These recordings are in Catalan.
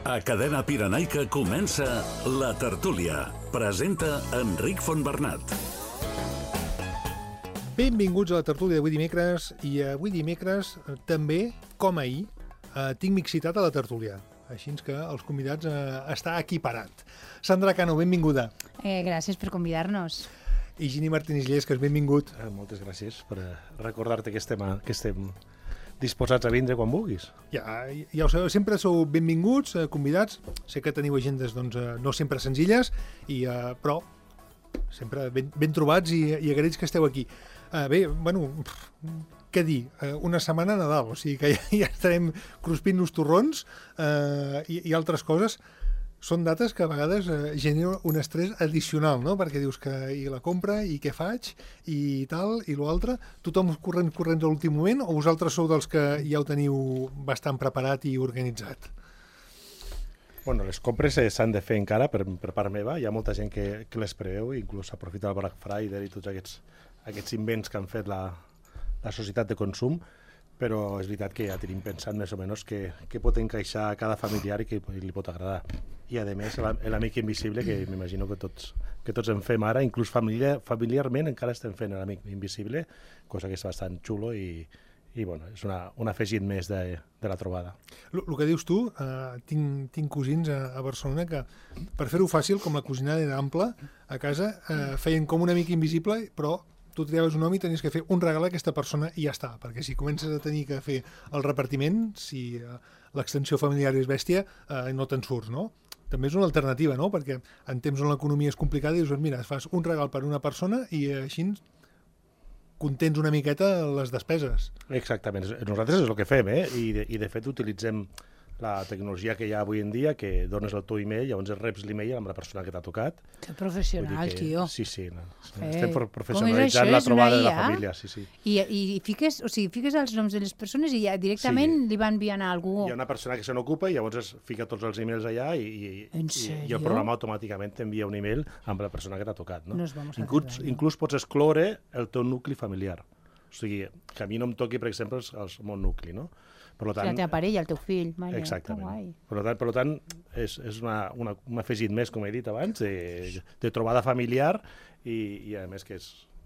A Cadena Pirenaica comença La Tertúlia. Presenta Enric Fontbernat. Benvinguts a La Tertúlia d'avui dimecres. I avui dimecres, també, com ahir, tinc mixitat a La Tertúlia. Així que els convidats està equiparat. Sandra Cano, benvinguda. Gràcies per convidar-nos. I Gini Martínez Llesques, benvingut. Moltes gràcies per recordar-te que estem disposats a vindre quan vulguis. Ja ho sabeu, sempre sou benvinguts, convidats. Sé que teniu agendes no sempre senzilles, però sempre ben trobats i agraïts que esteu aquí. Bé, bueno, què dir? Una setmana a Nadal, o sigui que ja estarem cruspint-nos torrons i altres coses. Són dates que a vegades generen un estrès addicional, no? Perquè dius que i la compra, i què faig, i tal, i l'altre. Tothom corrent a l'últim moment, o vosaltres sou dels que ja ho teniu bastant preparat i organitzat? Bueno, les compres s'han de fer encara per part meva. Hi ha molta gent que les preveu, inclús aprofita el Black Friday i tots aquests invents que han fet la societat de consum, però és veritat que ja tenim pensat més o menys què pot encaixar a cada familiar i què li pot agradar. I, a més, l'amic invisible, que m'imagino que tots en fem ara, inclús familiarment encara estem fent l'amic invisible, cosa que és bastant xulo i bueno, és un afegit més de la trobada. El que dius tu, tinc cosins a Barcelona que, per fer-ho fàcil, com la cosinada era ampla, a casa feien com un amic invisible, però tu triaves un nom i tenies que fer un regal a aquesta persona i ja està, perquè si comences a tenir que fer el repartiment, si l'extensió familiar és bèstia, no te'n surts, no? També és una alternativa, no? Perquè en temps on l'economia és complicada dius, mira, fas un regal per una persona i així contens una miqueta les despeses. Exactament, nosaltres és el que fem, i de fet utilitzem la tecnologia que hi ha avui en dia, que dones el teu email, llavors reps l'email amb la persona que t'ha tocat. Que professional, tio. Sí, estem professionalitzant la trobada de la família. Sí. I fiques els noms de les persones i ja directament li van enviant a algú. Hi ha una persona que se n'ocupa i llavors es fica tots els emails allà i el programa automàticament t'envia un email amb la persona que t'ha tocat. No? Inclús pots excloure el teu nucli familiar. O sigui, que a mi no em toqui, per exemple, el meu nucli, no? La teva parella, el teu fill. Exactament. Per tant, és un afegit més, com he dit abans, de trobada familiar i a més que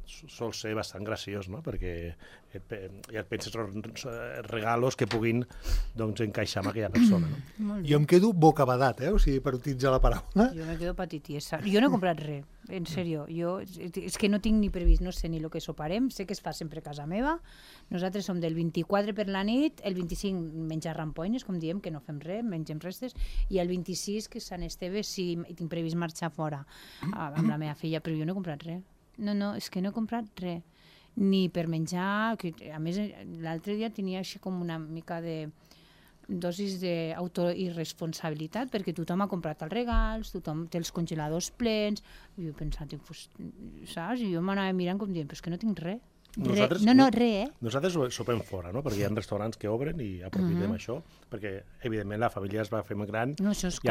sol ser bastant graciós, no? Perquè ja et penses regalos que puguin encaixar amb aquella persona. No? Jo em quedo bocabadat, o sigui, per utilitzar la paraula. Jo me quedo patitiesa. Jo no he comprat res, en sèrio. És que no tinc ni previst, no sé ni el que soparem, sé que es fa sempre a casa meva. Nosaltres som del 24 per la nit, el 25 menjar rampoines, com diem, que no fem res, mengem restes, i el 26, que és Sant Esteve, sí, tinc previst marxar fora amb la meva filla, però jo no he comprat res. No, és que no he comprat res. Ni per menjar, que a més l'altre dia tenia així com una mica de dosis d'autoirresponsabilitat, perquè tothom ha comprat els regals, tothom té els congeladors plens, i jo he pensat, saps? I jo m'anava mirant com dient, però és que no tinc res. Nosaltres sopem fora, no? Perquè hi ha restaurants que obren i aprofitem això, perquè evidentment la família es va fent gran i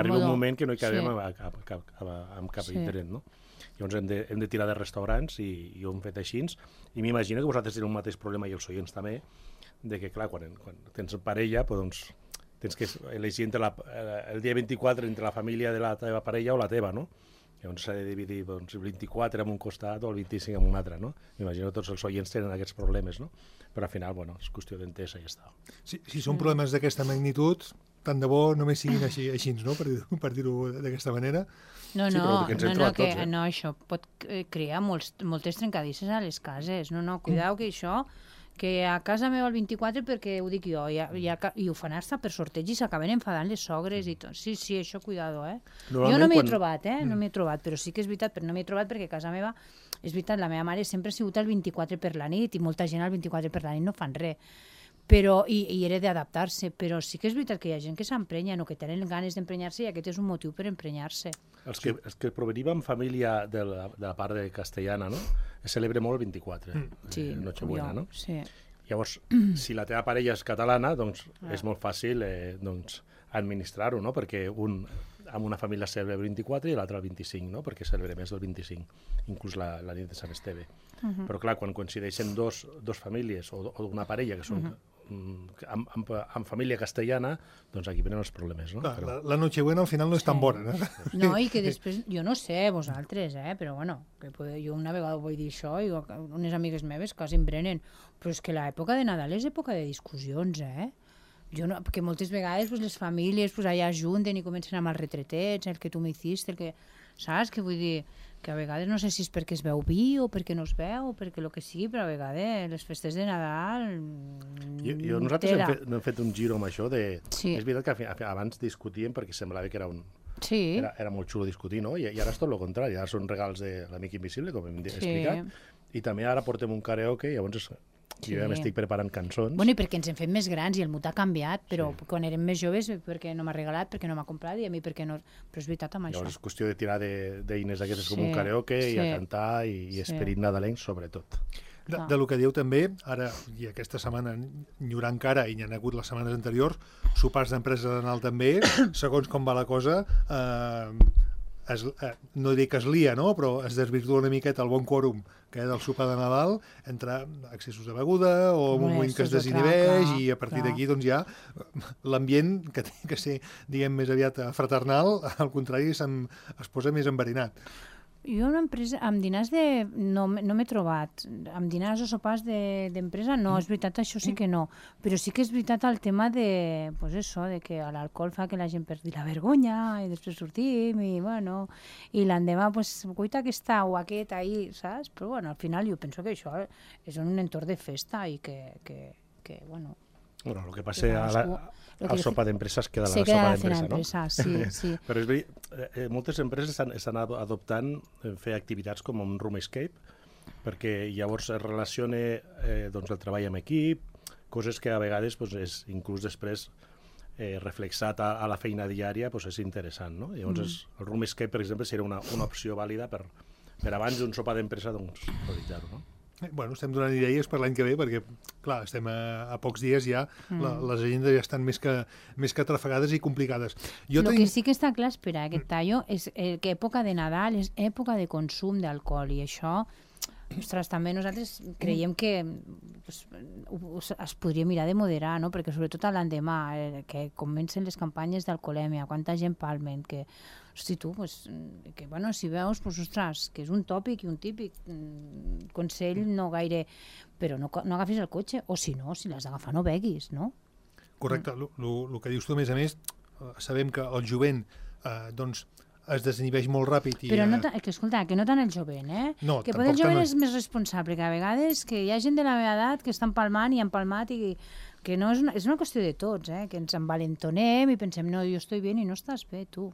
arriba un moment que no hi cabem amb cap interès, no? Llavors hem de tirar de restaurants i ho hem fet així, i m'imagino que vosaltres teniu un mateix problema i els oients també, de que clar, quan tens parella doncs tens que elegir el dia 24 entre la família de la teva parella o la teva, no? Llavors s'ha de dividir el 24 en un costat o el 25 en un altre, no? M'imagino que tots els oients tenen aquests problemes, no? Però al final, bueno, és qüestió d'entesa i ja està. Si són problemes d'aquesta magnitud, tant de bo només siguin així, no? Per dir-ho d'aquesta manera. No, això pot crear moltes trencadisses a les cases. No, cuidao que això, que a casa meva el 24, perquè ho dic jo, i ho fan hasta per sorteig i s'acaben enfadant les sogres i tot. Sí, això, cuidado, Jo no m'hi he trobat, no m'hi he trobat, però sí que és veritat, però no m'hi he trobat perquè a casa meva, és veritat, la meva mare sempre ha sigut el 24 per la nit i molta gent al 24 per la nit no fan res. Però, i era d'adaptar-se, però sí que és veritat que hi ha gent que s'emprenya o que tenen ganes d'emprenyar-se i aquest és un motiu per emprenyar-se. Els que provenim en família de la part castellana, no? Es celebra molt el 24, Nochebuena, no? Sí. Llavors, si la teva parella és catalana, doncs és molt fàcil administrar-ho, no? Perquè amb una família celebra el 24 i l'altra el 25, no? Perquè celebra més el 25, inclús la nit de Sant Esteve. Però clar, quan coincideixen dos famílies o una parella que són amb família castellana, doncs aquí venen els problemes, no? La Nochebuena al final no és tan bona, no? No, i que després, jo no sé, vosaltres, però bueno, jo una vegada vull dir això, i unes amigues meves quasi em prenen, però és que l'època de Nadal és època de discussions, perquè moltes vegades les famílies allà ajunten i comencen amb els retretets, el que tu m'hiciste, el que... Saps? Que vull dir que a vegades no sé si és perquè es veu vi o perquè no es veu o perquè el que sigui, però a vegades les festes de Nadal... Nosaltres hem fet un giro amb això de... Sí. És veritat que abans discutíem perquè semblava que era un... Sí. Era molt xulo discutir, no? I ara és tot el contrari, ara són regals de l'amic invisible, com hem explicat, i també ara portem un karaoke, llavors jo ja m'estic preparant cançons. Bueno, i perquè ens hem fet més grans i el mut ha canviat, però quan érem més joves, perquè no m'ha regalat, perquè no m'ha comprat, i a mi perquè no... Però és veritat amb això. Llavors és qüestió de tirar d'eines d'aquestes com un karaoke i a cantar i esperit nadalenc, sobretot. Del que dieu també, ara, i aquesta setmana n'hi haurà encara, i n'hi ha hagut les setmanes anteriors, sopars d'empresa de Nadal també, segons com va la cosa, no dic que es lia, no? Però es desvirtua una miqueta el bon quòrum que hi ha del sopar de Nadal entre excessos de beguda o un moment que es desinhibeix i a partir d'aquí doncs ja l'ambient que té que ser, diguem, més aviat fraternal, al contrari, es posa més enverinat. Jo una empresa, amb dinars no m'he trobat, amb dinars o sopars d'empresa no, és veritat, això sí que no, però sí que és veritat el tema de, pues això, de que l'alcohol fa que la gent perdi la vergonya i després sortim i bueno, i l'endemà pues cuita aquesta o aquest ahí, saps? Però bueno, al final jo penso que això és un entorn de festa i que bueno... Bueno, el que passa al sopa d'empresa es queda la sopa d'empresa, no? Sí. Però és veritat, moltes empreses estan adoptant fer activitats com un room escape, perquè llavors es relaciona el treball amb equip, coses que a vegades, inclús després reflexat a la feina diària, és interessant, no? Llavors el room escape, per exemple, seria una opció vàlida per abans d'un sopa d'empresa realitzar-ho, no? Bueno, estem donant idees per l'any que ve perquè, clar, estem a pocs dies ja, les agendes ja estan més que atrafegades i complicades. Que sí que està clar, espera, aquest tallo, és que època de Nadal és època de consum d'alcohol i això, ostres, també nosaltres creiem que es podria mirar de moderar, no? Perquè sobretot l'endemà, que comencen les campanyes d'alcoholèmia, quanta gent palmen, que hosti, tu, que bueno, si veus, ostres, que és un tòpic i un típic consell no gaire, però no agafis el cotxe, o si no, si l'has d'agafar no beguis, no? Correcte, el que dius tu, a més, sabem que el jovent, doncs, es desinhibeix molt ràpid. Però escolta, que no tant el jovent, No, que potser el jovent és més responsable, que a vegades que hi ha gent de la meva edat que està empalmant i empalmat i que no és una qüestió de tots, que ens envalentonem i pensem, no, jo estic bé i no estàs bé, tu.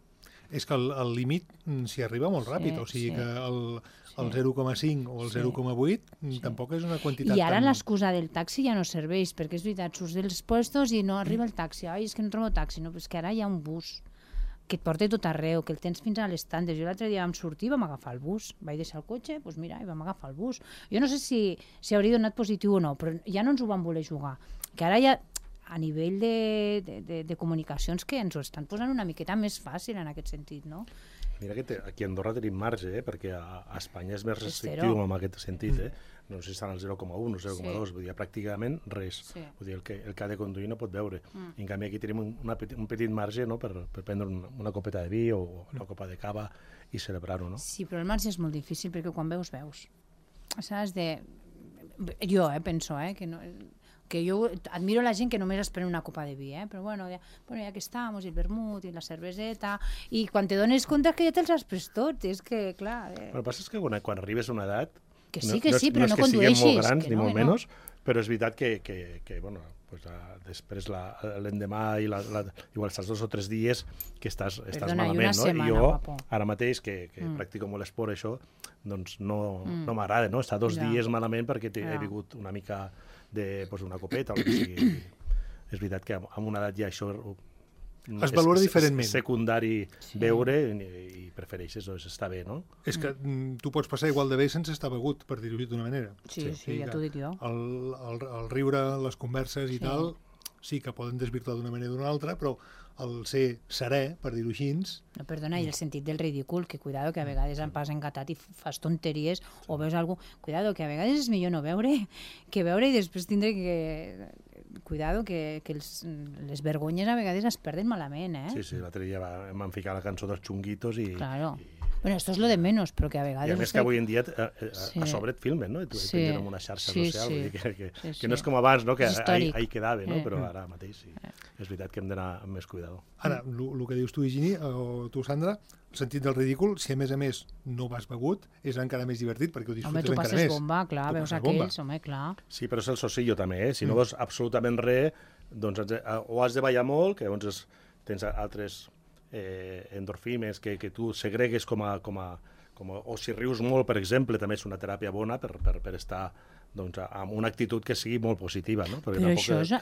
És que el límit s'hi arriba molt ràpid, o sigui que el 0,5 o el 0,8 tampoc és una quantitat I ara l'excusa del taxi ja no serveix, perquè és veritat, surts dels puestos i no arriba el taxi, és que no trobo taxi, no, és que ara hi ha un bus que et porta tot arreu, que el tens fins a les tandes. Jo l'altre dia vam sortir i vam agafar el bus. Vaig deixar el cotxe, doncs mira, i vam agafar el bus. Jo no sé si hauria donat positiu o no, però ja no ens ho van voler jugar. Que ara ja, a nivell de comunicacions, que ens ho estan posant una miqueta més fàcil en aquest sentit, no? Mira que aquí a Andorra tenim marge, perquè a Espanya és més restrictiu en aquest sentit, No sé si estan al 0,1 o 0,2, vull dir, pràcticament res. Vull dir, el que ha de conduir no pot beure. I en canvi aquí tenim un petit marge, no?, per prendre una copeta de vi o una copa de cava i celebrar-ho, no? Sí, però el marge és molt difícil perquè quan veus. Saps? Jo penso, que jo admiro la gent que només es pren una copa de vi, però bueno, ja que estem, i el vermut, i la cerveseta, i quan te dones compte que ja te'ls has pres tot, és que, clar... El que passa és que quan arribes a una edat, que sí, però no condueixis. No és que siguem molt grans, ni molt menys, però és veritat que bueno, després l'endemà i igual estàs 2 o 3 dies que estàs malament, no? I jo, ara mateix, que practico molt esport, això, doncs no m'agrada, no? Estar 2 dies malament perquè he begut una mica d'una copeta o el que sigui. És veritat que amb una edat ja això es valora diferentment. És secundari beure i prefereixes, està bé, no? És que tu pots passar igual de bé sense estar begut, per dir-ho d'una manera. Sí, ja t'ho dic jo. El riure, les converses i tal, sí que poden desvirtuar d'una manera o d'una altra, però el ser serè, per dir-ho així... No, perdona, i el sentit del ridícul, que cuidado, que a vegades em pas engatat i fas tonteries o veus algú... Cuidado, que a vegades és millor no beure que beure i després tindre que cuidado, que les vergonyes a vegades es perden malament, Sí, l'altre dia vam ficar la cançó dels Chunguitos i... Claro. Bueno, esto es lo de menos, però que a vegades... I a més que avui en dia a sobre et filmen, no? I tu pengen en una xarxa social, vull dir que no és com abans, no? Que ahí quedava, no? Però ara mateix sí. És veritat que hem d'anar amb més cuidado. Ara, el que dius tu, Higini, o tu, Sandra, el sentit del ridícul, si a més no vas begut, és encara més divertit, perquè ho disfrutes encara més. Home, tu passes bomba, clar, veus aquells, home, clar. Sí, però és el socillo també, Si no veus absolutament res, doncs o has de ballar molt, que llavors tens altres endorfines que tu segregues o si rius molt, per exemple, també és una teràpia bona per estar amb una actitud que sigui molt positiva, no? Però això jo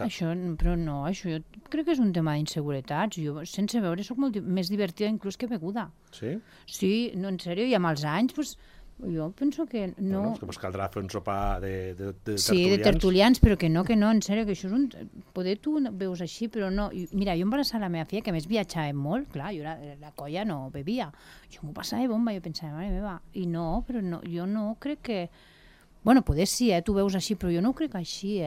crec que és un tema d'inseguretats. Jo, sense veure, soc molt més divertida inclús que beguda. Sí? Sí, no, en sèrio, i amb els anys, jo penso que no... Bueno, és que caldrà fer un sopar de tertulians. Sí, de tertulians, però que no, en sèrio, que això és un... Poder tu veus així, però no... Mira, jo em embarassava la meva filla, que a més viatjava molt, clar, jo la colla no bevia. Jo m'ho passava bomba, jo pensava, mare meva, i no, però no, jo no crec que... Bueno, poder sí, tu veus així, però jo no ho crec així,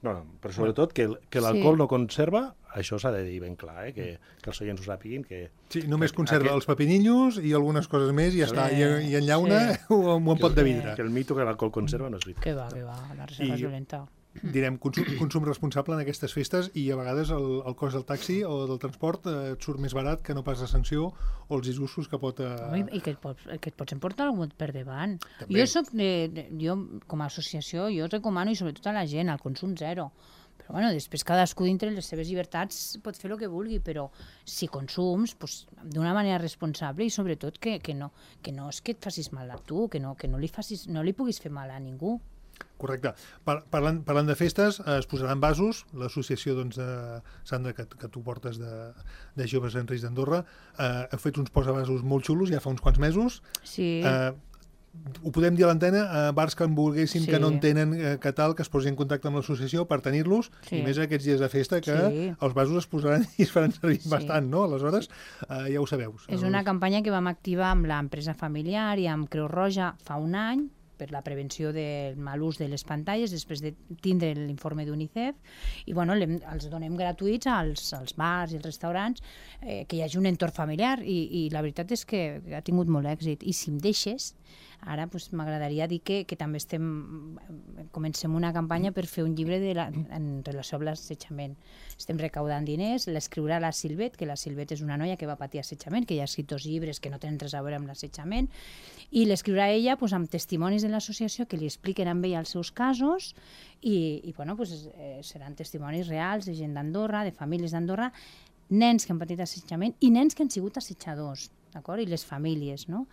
No, però sobretot que l'alcohol no conserva, això s'ha de dir ben clar, que els oients ho sàpiguin. Sí, només conserva els pepinillos i algunes coses més i ja està, i en llauna un pot de vidre. Que el mito que l'alcohol conserva no és veritat. Que va, la reserva és violenta. Direm, consum responsable en aquestes festes i a vegades el cost del taxi o del transport et surt més barat que no pas la sanció o els disgustos que pot... I que et pots emportar algú per davant. Jo, com a associació, jo recomano, i sobretot a la gent, el consum zero. Però bueno, després cadascú dintre les seves llibertats pot fer el que vulgui, però si consums d'una manera responsable i sobretot que no és que et facis mal a tu, que no li puguis fer mal a ningú. Correcte. Parlant de festes, es posaran vasos. L'associació, Sandra, que tu portes de Joves en Risc d'Andorra, heu fet uns posavasos molt xulos ja fa uns quants mesos. Sí. Ho podem dir a l'antena, bars que en volguessin, que no en tenen, que tal, que es posin en contacte amb l'associació per tenir-los, i més aquests dies de festa que els vasos es posaran i es faran servir bastant, no? Aleshores, ja ho sabeu. És una campanya que vam activar amb l'empresa familiar i amb Creu Roja fa un any, per la prevenció del mal ús de les pantalles, després de tindre l'informe d'UNICEF, i bueno, els donem gratuïts als bars i als restaurants, que hi hagi un entorn familiar, i la veritat és que ha tingut molt èxit. I si em deixes, ara m'agradaria dir que també comencem una campanya per fer un llibre en relació amb l'assetjament. Estem recaudant diners, l'escriurà la Silvet, que la Silvet és una noia que va patir assetjament, que ja ha escrit 2 llibres que no tenen res a veure amb l'assetjament, i l'escriurà ella amb testimonis de l'associació que li expliquen amb ella els seus casos, i seran testimonis reals de gent d'Andorra, de famílies d'Andorra, nens que han patit assetjament i nens que han sigut assetjadors, d'acord? I les famílies, no?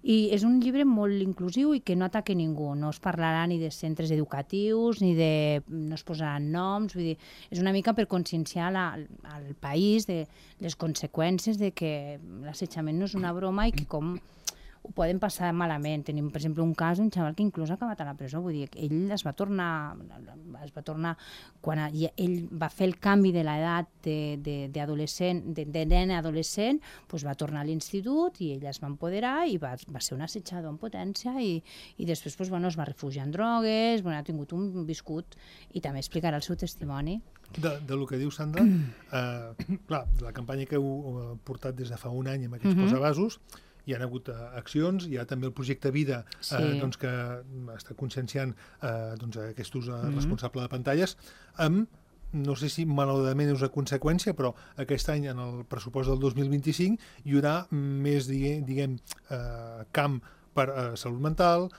I és un llibre molt inclusiu i que no ataca ningú, no es parlarà ni de centres educatius, no es posaran noms, vull dir, és una mica per conscienciar al país de les conseqüències de que l'assetjament no és una broma i que com ho poden passar malament. Tenim, per exemple, un cas d'un xaval que inclús ha acabat a la presó. Vull dir, ell es va tornar quan ell va fer el canvi de l'edat d'adolescent, de nen a adolescent, va tornar a l'institut i ell es va empoderar i va ser un assetjador en potència i després es va refugiar en drogues, ha tingut un viscut i també explicarà el seu testimoni. Del que diu Sandra, clar, la campanya que heu portat des de fa un any amb aquests posavasos, hi ha hagut accions, hi ha també el projecte Vida que està conscienciant aquest ús responsable de pantalles, no sé si malauradament és una conseqüència, però aquest any en el pressupost del 2025 hi haurà més, diguem, camp per salut mental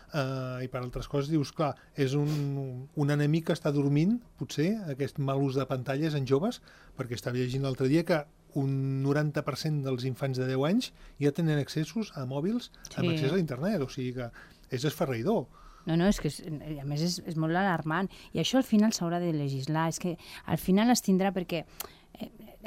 i per altres coses. Dius, clar, és un enemic que està dormint, potser, aquest mal ús de pantalles en joves, perquè estava llegint l'altre dia que un 90% dels infants de 10 anys ja tenen accessos a mòbils amb accés a l'internet, o sigui que és esferraïdor. No, és que a més és molt alarmant, i això al final s'haurà de legislar, és que al final es tindrà perquè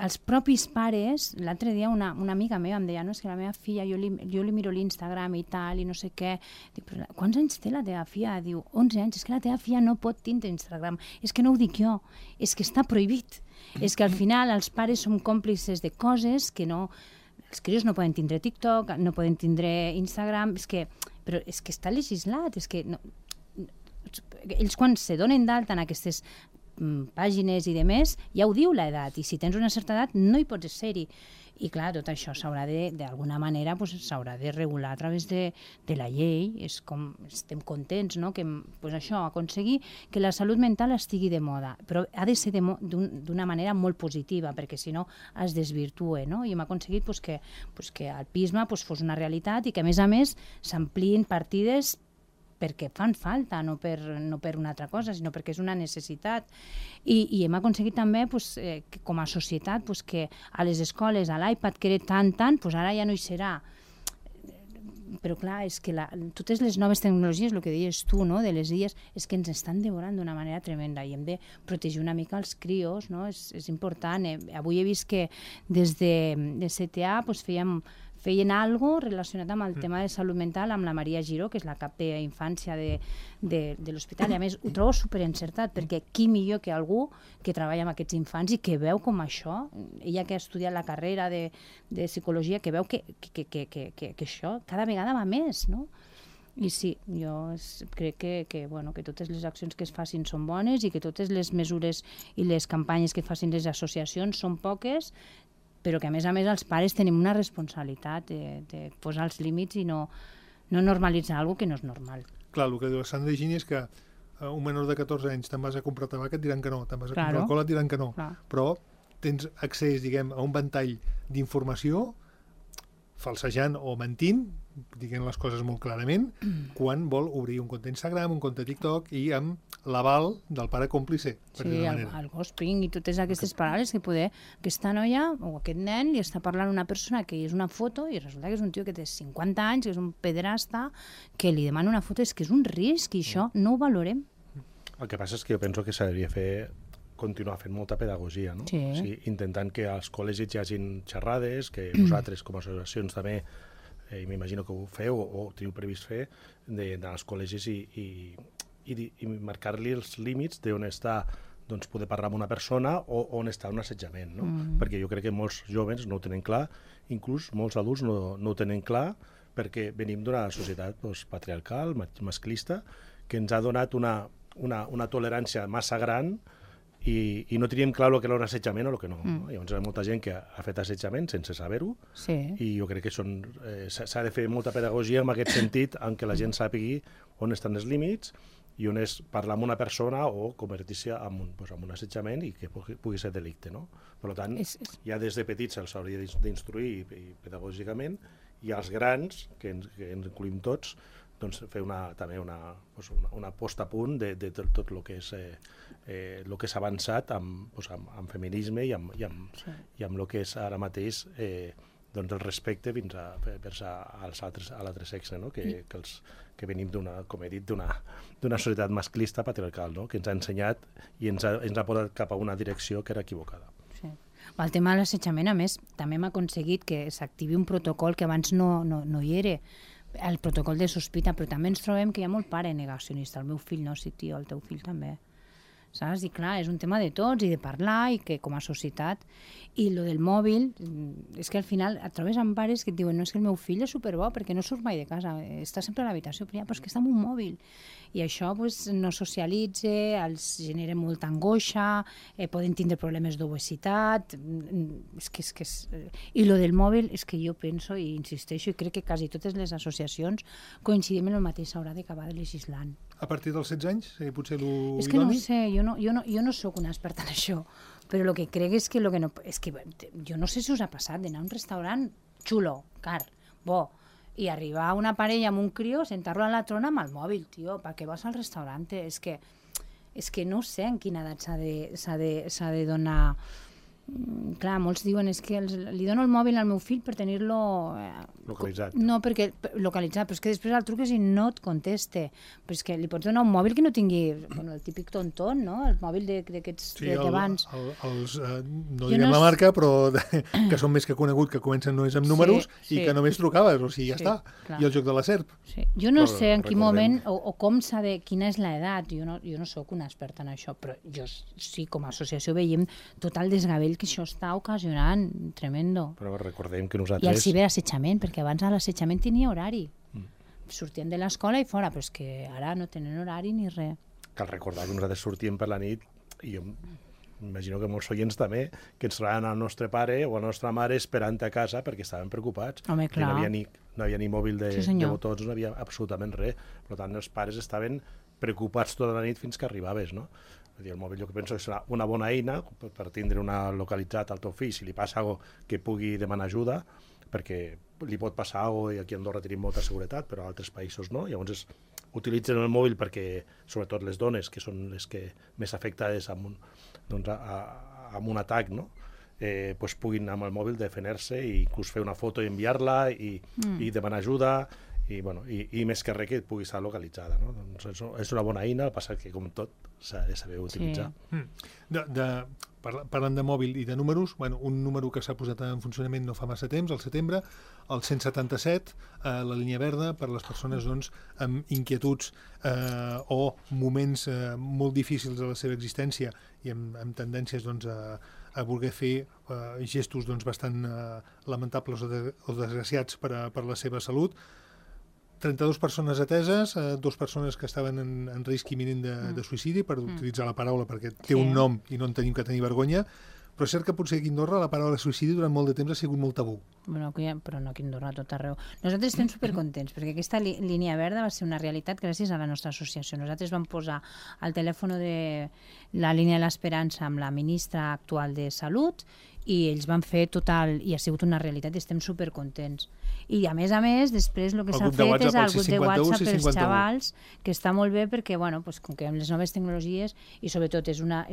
els propis pares, l'altre dia una amiga meva em deia, no, és que la meva filla, jo li miro l'Instagram i tal, i no sé què. Dic, però quants anys té la teva filla? Diu, 11 anys, és que la teva filla no pot tindre Instagram. És que no ho dic jo, és que està prohibit. És que al final els pares som còmplices de coses que no... Els crios no poden tindre TikTok, no poden tindre Instagram, però és que està legislat, és que ells quan se donen d'alta en aquestes pàgines i demés, ja ho diu l'edat, i si tens una certa edat no hi pots ser-hi. I clar, tot això s'haurà d'alguna manera s'haurà de regular a través de la llei. És com estem contents, no? Que això, aconseguir que la salut mental estigui de moda, però ha de ser d'una manera molt positiva, perquè si no es desvirtua, no? I hem aconseguit que el PISMA fos una realitat i que a més s'ampliïn partides perquè fan falta, no per una altra cosa, sinó perquè és una necessitat. I hem aconseguit també, com a societat, que a les escoles, a l'iPad, que era tant, ara ja no hi serà. Però clar, és que totes les noves tecnologies, el que deies tu, no?, de les illes, és que ens estan devorant d'una manera tremenda i hem de protegir una mica els crios, no? És important. Avui he vist que des de CTA feien alguna cosa relacionat amb el tema de salut mental amb la Maria Giró, que és la cap d'infància de l'hospital, i a més ho trobo superencertat, perquè qui millor que algú que treballa amb aquests infants i que veu com això, ella que ha estudiat la carrera de psicologia, que veu que això cada vegada va més, no? I sí, jo crec que totes les accions que es facin són bones i que totes les mesures i les campanyes que facin les associacions són poques, però que a més els pares tenim una responsabilitat de posar els límits i no normalitzar alguna cosa que no és normal. Clar, el que diu la Sandra Gini és que un menor de 14 anys te'n vas a comprar tabac, et diran que no, te'n vas a comprar alcohol, et diran que no, però tens accés, diguem, a un ventall d'informació falsejant o mentint, diguent les coses molt clarament, quan vol obrir un compte Instagram, un compte TikTok i amb l'aval del pare còmplice. Sí, el ghosting i totes aquestes paraules que aquesta noia o aquest nen li està parlant a una persona que és una foto i resulta que és un tio que té 50 anys, que és un pederasta, que li demana una foto, és que és un risc i això no ho valorem. El que passa és que jo penso que s'hauria continuar fent molta pedagogia, no? Sí. O sigui, intentant que als col·legis hi hagin xerrades, que vosaltres com a associacions també, m'imagino que ho feu o teniu previst fer, d'anar als col·legis i marcar-li els límits d'on està poder parlar amb una persona o on està un assetjament, no? Perquè jo crec que molts jóvens no ho tenen clar, inclús molts adults no ho tenen clar, perquè venim d'una societat patriarcal, masclista, que ens ha donat una tolerància massa gran i no teníem clar el que era un assetjament o el que no. Llavors hi ha molta gent que ha fet assetjament sense saber-ho, i jo crec que s'ha de fer molta pedagogia en aquest sentit, en què la gent sàpigui on estan els límits i on és parlar amb una persona o convertir-se en un assetjament i que pugui ser delicte, no? Per tant, ja des de petits se'ls hauria d'instruir pedagògicament, i als grans, que ens incluïm tots, fer també una posta a punt de tot el que s'ha avançat amb feminisme i amb el que és ara mateix el respecte fins a l'altre sexe, no? Que venim, com he dit, d'una societat masclista patriarcal, no? Que ens ha ensenyat i ens ha portat cap a una direcció que era equivocada. El tema de l'assetjament, a més, també hem aconseguit que s'activi un protocol que abans no hi era, el protocol de sospita, però també ens trobem que hi ha molt pare negacionista. El meu fill no, sí, tio, el teu fill també. Saps? I clar, és un tema de tots i de parlar, i que com a societat. I lo del mòbil, és que al final et trobes amb pares que et diuen no, és que el meu fill és superbo perquè no surt mai de casa, està sempre a l'habitació, però és que està amb un mòbil. I això no socialitza, els genera molta angoixa, poden tindre problemes d'obesitat. I lo del mòbil és que jo penso i insisteixo i crec que quasi totes les associacions coincidim en el mateix, s'haurà d'acabar legislant. A partir dels 16 anys? Potser l'idoni? És que no sé, jo no sóc una experta en això, però el que crec és que jo no sé si us ha passat d'anar a un restaurant xulo, car, bo, i arribar a una parella amb un crió, sentar-lo a la trona amb el mòbil, tio, per què vas al restaurant? És que no sé en quina edat s'ha de donar... Clar, molts diuen és que li dono el mòbil al meu fill per tenir-lo... localitzat. No, perquè localitzat, però és que després el truques i no et conteste. Però és que li pots donar un mòbil que no tingui el típic tonton, no? El mòbil d'aquests d'abans. No diguem la marca, però que són més que conegut, que comencen només amb números i que només trucaves, o sigui, ja està. I el joc de la serp. Jo no sé en quin moment o com s'ha de... Quina és l'edat, jo no sóc una experta en això, però jo sí, com a associació veiem tot el desgavell que això està ocasionant, tremendo. Però recordem que nosaltres... I el ciberassetjament, perquè abans l'assetjament tenia horari. Sortien de l'escola i fora, però és que ara no tenen horari ni res. Cal recordar que nosaltres sortíem per la nit i jo imagino que molts oients també, que ens trobaven al nostre pare o a la nostra mare esperant a casa perquè estaven preocupats. Home, clar. No havia ni mòbil de botons, no havia absolutament res. Per tant, els pares estaven preocupats tota la nit fins que arribaves, no? El mòbil jo penso que serà una bona eina per tindre localitzat al teu fill si li passa alguna cosa que pugui demanar ajuda, perquè li pot passar alguna cosa i aquí a Andorra tenim molta seguretat, però a altres països no. Llavors utilitzen el mòbil perquè, sobretot les dones, que són les que més afectades amb un atac, no? Pues puguin amb el mòbil defendre-se i inclús fer una foto i enviar-la i demanar ajuda i més que res que pugui estar localitzada, no? Doncs és una bona eina, el passa que com tot s'ha de saber utilitzar. Parlant de mòbil i de números, un número que s'ha posat en funcionament no fa massa temps, al setembre, el 177, la línia verda, per a les persones amb inquietuds o moments molt difícils de la seva existència i amb tendències a voler fer gestos bastant lamentables o desgraciats per a la seva salut. 32 persones ateses, 2 persones que estaven en risc imminent de suïcidi, per utilitzar la paraula perquè té un nom i no en tenim que tenir vergonya, però és cert que potser aquí a Andorra la paraula suïcidi durant molt de temps ha sigut molt tabú. Però no aquí a Andorra, a tot arreu. Nosaltres estem supercontents perquè aquesta línia verda va ser una realitat gràcies a la nostra associació. Nosaltres vam posar el telèfon de la línia de l'esperança amb la ministra actual de Salut i ells van fer total, i ha sigut una realitat i estem supercontents. I a més, després el que s'ha fet és el grup de WhatsApp pels xavals, que està molt bé perquè, com que amb les noves tecnologies, i sobretot és una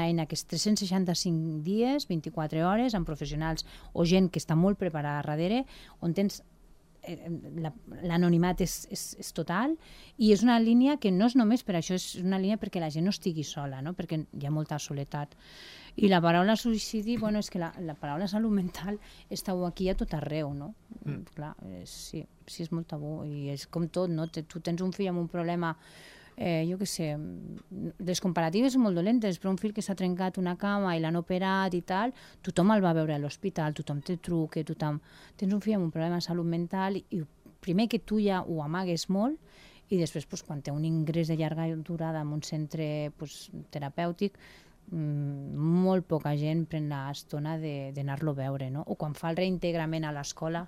eina que és 365 dies, 24 hores, amb professionals o gent que està molt preparada darrere, on tens l'anonimat és total, i és una línia que no és només per això, és una línia perquè la gent no estigui sola, no? Perquè hi ha molta soledat. I la paraula suïcidi, és que la paraula salut mental està aquí a tot arreu, no? Clar, sí, és molt tabú, i és com tot, no? Tu tens un fill amb un problema, jo què sé, les comparatives són molt dolentes, però un fill que s'ha trencat una cama i l'han operat i tal, tothom el va veure a l'hospital, tothom te truca, tens un fill amb un problema de salut mental i primer que tu ja ho amagues molt i després quan té un ingrés de llarga durada en un centre terapèutic, molt poca gent pren l'estona d'anar-lo a veure, no? O quan fa el reintegrament a l'escola,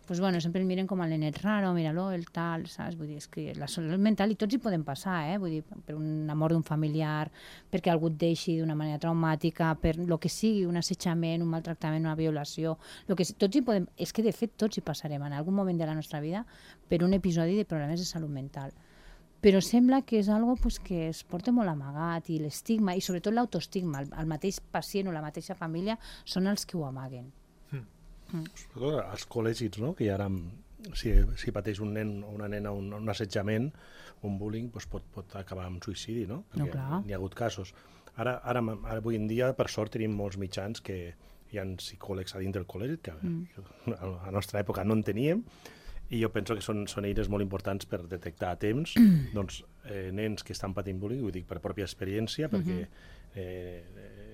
sempre el miren com el nenet raro, mira-lo, el tal, saps? Vull dir, és que la salut mental, i tots hi poden passar, vull dir, per una mort d'un familiar, perquè algú et deixi d'una manera traumàtica, per lo que sigui, un assetjament, un maltractament, una violació, tots hi podem, és que de fet tots hi passarem en algun moment de la nostra vida per un episodi de problemes de salut mental. Però sembla que és algo que es porta molt amagat, i l'estigma, i sobretot l'autoestigma, el mateix pacient o la mateixa família són els que ho amaguen. Sobretot als col·legis, no? Que ara, si pateix un nen o una nena un assetjament, un bullying, pot acabar amb suïcidi, no? Perquè n'hi ha hagut casos. Ara, avui en dia, per sort, tenim molts mitjans que hi ha psicòlegs a dins del col·legi, que a la nostra època no en teníem, i jo penso que són eines molt importants per detectar a temps nens que estan patint bullying, ho dic per pròpia experiència, perquè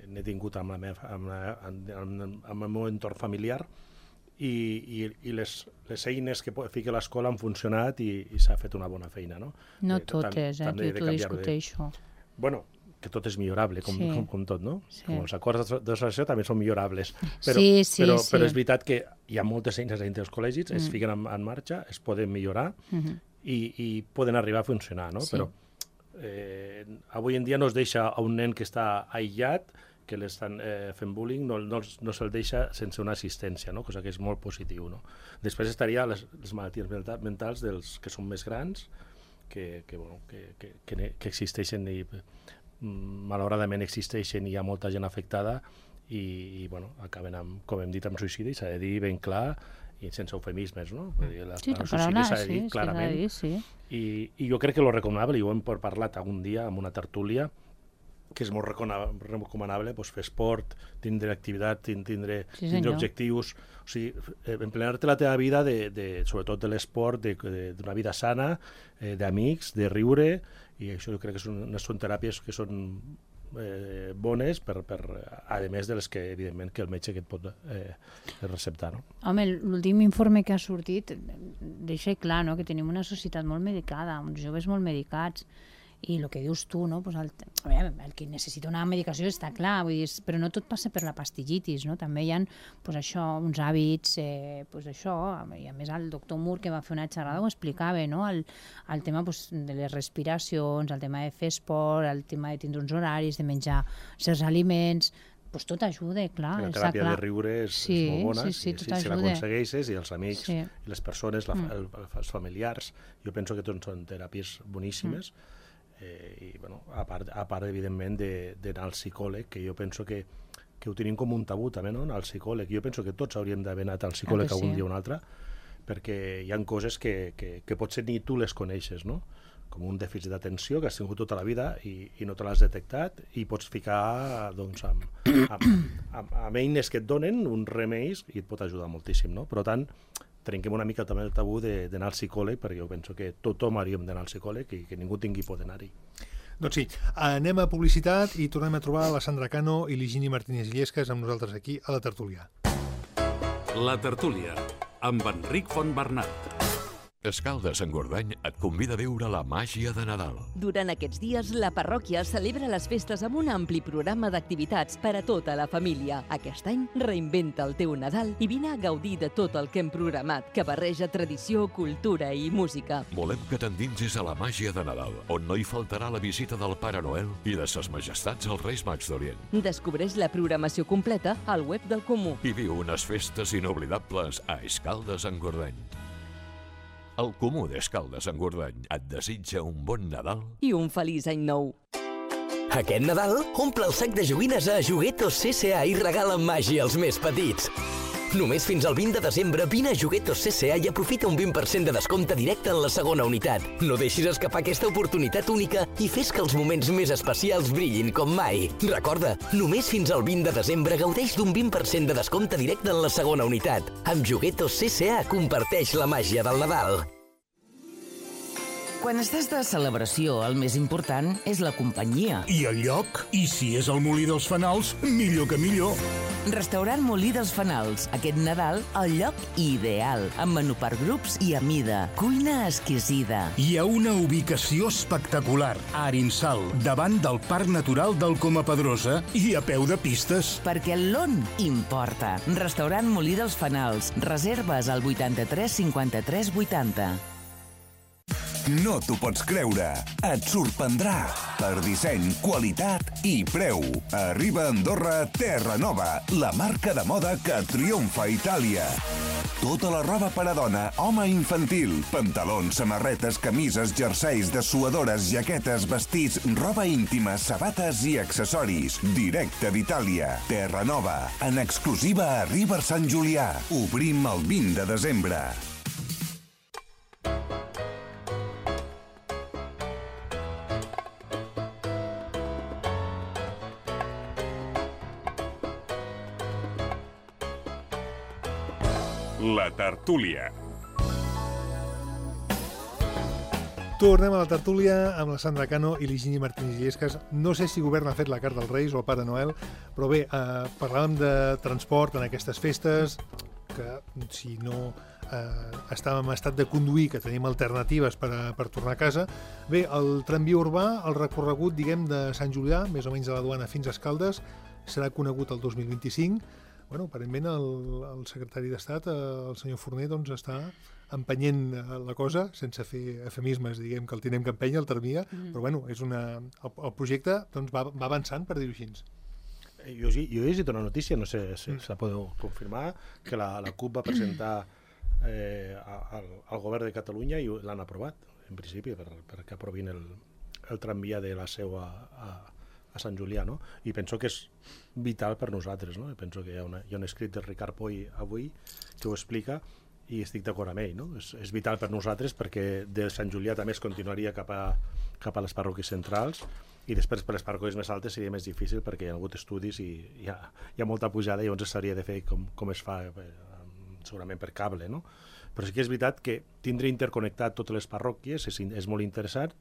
n'he tingut amb el meu entorn familiar, i les eines que fica l'escola han funcionat i s'ha fet una bona feina, no? No totes, que t'ho discuteixo. Bueno, que tot és millorable, com tot, no? Com els acords d'associació també són millorables. Però és veritat que hi ha moltes eines dintre dels col·legis, es fiquen en marxa, es poden millorar i poden arribar a funcionar, no? Però avui en dia no es deixa a un nen que està aïllat, que l'estan fent bullying, no se'l deixa sense una assistència, no? Cosa que és molt positiu, no? Després estaria les malalties mentals dels que són més grans, que existeixen i malauradament existeixen i hi ha molta gent afectada i acaben, com hem dit, amb suïcidi, s'ha de dir ben clar i sense eufemismes, no? Sí, la paraula s'ha de dir clarament. I jo crec que lo recomanable, i ho hem parlat algun dia amb una tertúlia, que és molt recomanable fer esport, tindre activitat, tindre objectius, o sigui, emplenar-te la teva vida, sobretot de l'esport, d'una vida sana, d'amics, de riure, i això jo crec que són teràpies que són bones, a més de les que, evidentment, que el metge que et pot receptar, no? Home, l'últim informe que ha sortit deixa clar, no?, que tenim una societat molt medicada, uns joves molt medicats, I el que dius tu, no? Pues el que necessita una medicació està clar, vull dir, però no tot passa per la pastillitis, no? També hi ha pues això, uns hàbits, pues això, i a més el doctor Moore que va fer una xerrada ho explicava, no? El tema pues, de les respiracions, el tema de fer esport, el tema de tindre uns horaris, de menjar certs aliments, pues tot ajuda, clar. La teràpia de riure és molt bona, si l'aconsegueixes, i els amics, i les persones, els familiars, jo penso que tots són teràpies boníssimes, i a part evidentment d'anar al psicòleg, que jo penso que ho tenim com un tabú també, no? Al psicòleg. Jo penso que tots hauríem d'haver anat al psicòleg algun dia o un altre, perquè hi ha coses que potser ni tu les coneixes, no? Com un dèficit d'atenció que has tingut tota la vida i no te l'has detectat, i pots ficar doncs, amb eines que et donen uns remeis i et pot ajudar moltíssim, no? Per tant, trenquem una mica també el tabú d'anar al psicòleg, perquè jo penso que tothom hauríem d'anar al psicòleg i que ningú tingui por d'anar-hi. Doncs sí, anem a publicitat i tornem a trobar la Sandra Cano i l'Higini Martínez Illescas amb nosaltres aquí a la tertúlia. La tertúlia, amb Enric Fontbernat. Escaldes-Engordany et convida a viure la màgia de Nadal. Durant aquests dies, la parròquia celebra les festes amb un ampli programa d'activitats per a tota la família. Aquest any, reinventa el teu Nadal i vine a gaudir de tot el que hem programat, que barreja tradició, cultura i música. Volem que t'endinsis a la màgia de Nadal, on no hi faltarà la visita del Pare Noel i de ses majestats els Reis Mags d'Orient. Descobreix la programació completa al web del Comú. I viu unes festes inoblidables a Escaldes-Engordany. El Comú d'Escaldes-Engordany et desitja un bon Nadal i un feliç any nou. Aquest Nadal, omple el sac de joguines a Juguetos CCA i regala màgia als més petits. Només fins al 20 de desembre vine a Juguetos CCA i aprofita un 20% de descompte directe en la segona unitat. No deixis escapar aquesta oportunitat única i fes que els moments més especials brillin com mai. Recorda, només fins al 20 de desembre gaudeix d'un 20% de descompte directe en la segona unitat. Amb Juguetos CCA comparteix la màgia del Nadal. Quan estàs de celebració, el més important és la companyia. I el lloc? I si és el Molí dels Fanals, millor que millor. Restaurant Molí dels Fanals. Aquest Nadal, el lloc ideal. Amb menú per grups i a mida. Cuina exquisida. Hi ha una ubicació espectacular. A Arinsal, davant del Parc Natural del Coma Pedrosa i a peu de pistes. Perquè l'on importa. Restaurant Molí dels Fanals. Reserves al 83 53 80. No t'ho pots creure. Et sorprendrà. Per disseny, qualitat i preu. Arriba a Andorra Terra Nova, la marca de moda que triomfa a Itàlia. Tota la roba per a dona, home i infantil. Pantalons, samarretes, camises, jerseis, dessuadores, jaquetes, vestits, roba íntima, sabates i accessoris. Directe d'Itàlia. Terra Nova. En exclusiva a River Sant Julià. Obrim el 20 de desembre. La tertúlia. Tornem a la tertúlia amb la Sandra Cano i l'Higini Martínez Illescas. No sé si el govern ha fet la carta als Reis o al Pare Noel, però bé, parlàvem de transport en aquestes festes, que si no estàvem en estat de conduir, que tenim alternatives per tornar a casa. Bé, el tramvia urbà, el recorregut, diguem, de Sant Julià, més o menys de la Duana fins a Escaldes, serà conegut el 2025. Bueno, aparentment el secretari d'Estat, el senyor Forner, doncs està empenyent la cosa, sense fer eufemismes, diguem, que el tenim que empènyer, el tramvia, però bueno, el projecte doncs, va avançant, per dir-ho així. Jo he llegit una notícia, no sé si la podeu confirmar, que la CUP va presentar al govern de Catalunya i l'han aprovat, en principi, perquè aprovin el tramvia de la Seu a Sant Julià, no? I penso que és vital per nosaltres, no? I penso que hi ha un escrit de Ricard Poy avui que ho explica i estic d'acord amb ell, no? És vital per nosaltres perquè de Sant Julià també es continuaria cap a les parròquies centrals i després per les parròquies més altes seria més difícil perquè hi ha hagut estudis i hi ha molta pujada i llavors s'hauria de fer com es fa segurament per cable, no? Però sí que és veritat que tindre interconnectat totes les parròquies és molt interessant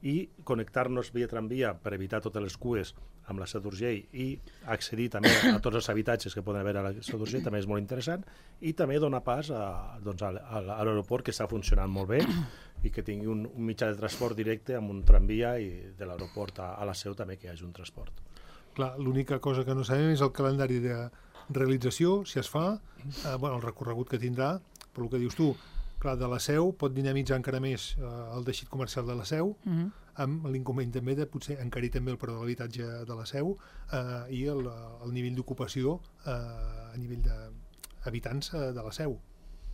i connectar-nos via tramvia per evitar totes les cues amb la Seu d'Urgell i accedir també a tots els habitatges que poden haver a la Seu d'Urgell també és molt interessant, i també donar pas a l'aeroport, que està funcionant molt bé i que tingui un mitjà de transport directe amb un tramvia, i de l'aeroport a la Seu també que hi hagi un transport. Clar, l'única cosa que no sabem és el calendari de realització, si es fa, el recorregut que tindrà, però el que dius tu, clar, de la Seu pot dinamitzar encara més el teixit comercial de la Seu, amb l'inconvenient també de potser encarir també el preu de l'habitatge de la Seu i el nivell d'ocupació a nivell d'habitants de la Seu.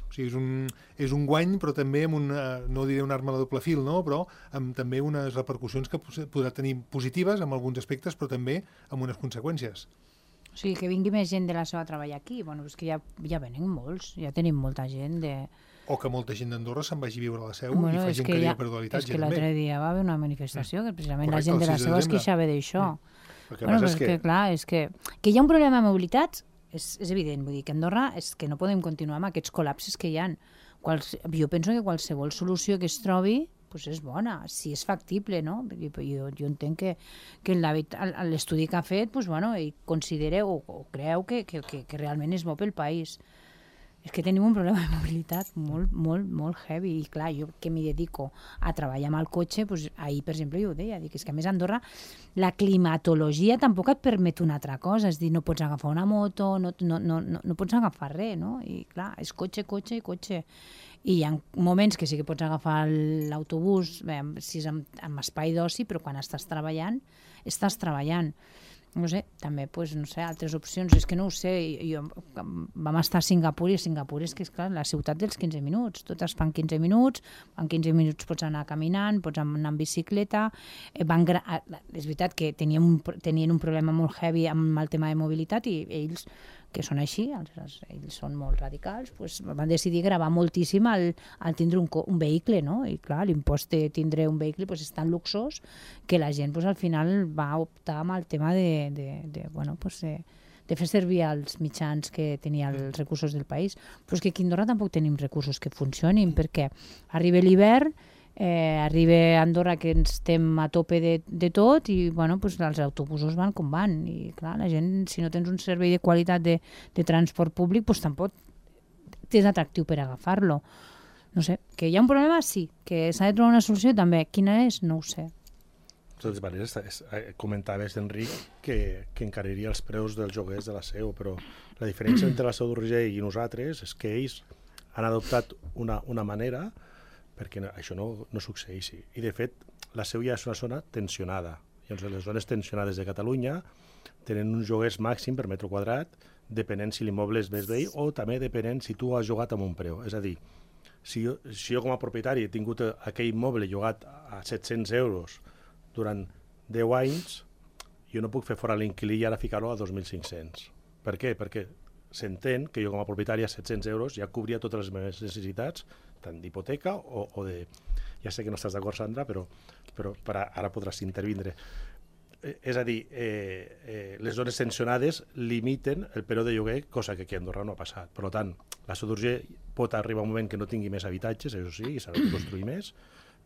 O sigui, és un guany, però també amb no diré una arma a doble fil, no? Però amb també unes repercussions que podrà tenir positives en alguns aspectes, però també amb unes conseqüències. O sigui, que vingui més gent de la Seu a treballar aquí. Bueno, és que ja venen molts, ja tenim molta gent de... O que molta gent d'Andorra se'n vagi a viure a la Seu i fa gent que ja perdó l'habitatge. És que l'altre dia va haver una manifestació que precisament la gent de la Seu es queixava d'això. Bueno, és que clar, és que hi ha un problema de mobilitat, és evident, vull dir que Andorra és que no podem continuar amb aquests col·lapses que hi ha. Jo penso que qualsevol solució que es trobi és bona, si és factible, no? Jo entenc que l'estudi que ha fet ell considera o creu que realment és bo pel país. És que tenim un problema de mobilitat molt, molt, molt heavy, i clar, jo que m'hi dedico a treballar amb el cotxe, ahir, per exemple, jo ho deia, és que a més a Andorra la climatologia tampoc et permet una altra cosa, és dir, no pots agafar una moto, no pots agafar res, no? I clar, és cotxe, cotxe i cotxe. I hi ha moments que sí que pots agafar l'autobús, si és amb espai d'oci, però quan estàs treballant, no sé, també, no sé, altres opcions, és que no ho sé, vam estar a Singapur, i Singapur és que és clar, la ciutat dels 15 minuts, totes fan 15 minuts, en 15 minuts pots anar caminant, pots anar en bicicleta, és veritat que tenien un problema molt heavy amb el tema de mobilitat, i ells, que són així, ells són molt radicals, van decidir gravar moltíssim al tindre un vehicle, no? I clar, l'impost de tindre un vehicle és tan luxós que la gent al final va optar amb el tema de fer servir els mitjans que tenia els recursos del país. Però és que aquí a Andorra tampoc tenim recursos que funcionin, perquè arriba l'hivern, arriba a Andorra que estem a tope de tot, i els autobusos van com van, i clar, la gent, si no tens un servei de qualitat de transport públic, tampoc és atractiu per agafar-lo. No sé, que hi ha un problema, sí, que s'ha de trobar una solució també. Quina és? No ho sé. De totes maneres, comentaves, Enric, que encariria els preus dels lloguers de la Seu, però la diferència entre la Seu d'Urgell i nosaltres és que ells han adoptat una manera perquè això no succeeixi. I, de fet, la Seu ja és una zona tensionada. I les zones tensionades de Catalunya tenen uns lloguers màxim per metre quadrat, depenent si l'immoble és més vell o també depenent si tu has llogat amb un preu. És a dir, si jo com a propietari he tingut aquell immoble llogat a 700 euros durant 10 anys, jo no puc fer fora l'inquilí i ara ficar-lo a 2.500. Per què? Perquè s'entén que jo com a propietari a 700 euros ja cobria totes les meves necessitats, tant d'hipoteca o de... Ja sé que no estàs d'acord, Sandra, però ara podràs intervindre. És a dir, les zones tensionades limiten el preu de lloguer, cosa que aquí a Andorra no ha passat. Per tant, la Seu d'Urgell pot arribar un moment que no tingui més habitatges, això sí, i s'ha de construir més,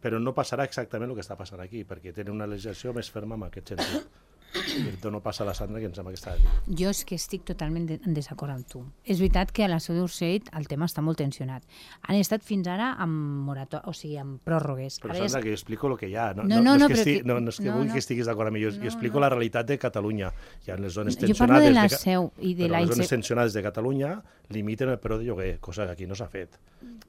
però no passarà exactament el que està passant aquí, perquè tenen una legislació més ferma en aquest sentit. I no passa a la Sandra, que em sembla que està dient. Jo és que estic totalment en desacord amb tu. És veritat que a la Seu d'Urgell el tema està molt tensionat. Han estat fins ara amb amb pròrrogues. Però Sandra, que jo explico el que hi ha. No és que vull que estiguis d'acord amb mi. Jo explico la realitat de Catalunya. Hi ha les zones tensionades... Jo parlo de la Seu i de les zones tensionades de Catalunya limiten el preu de lloguer, cosa que aquí no s'ha fet.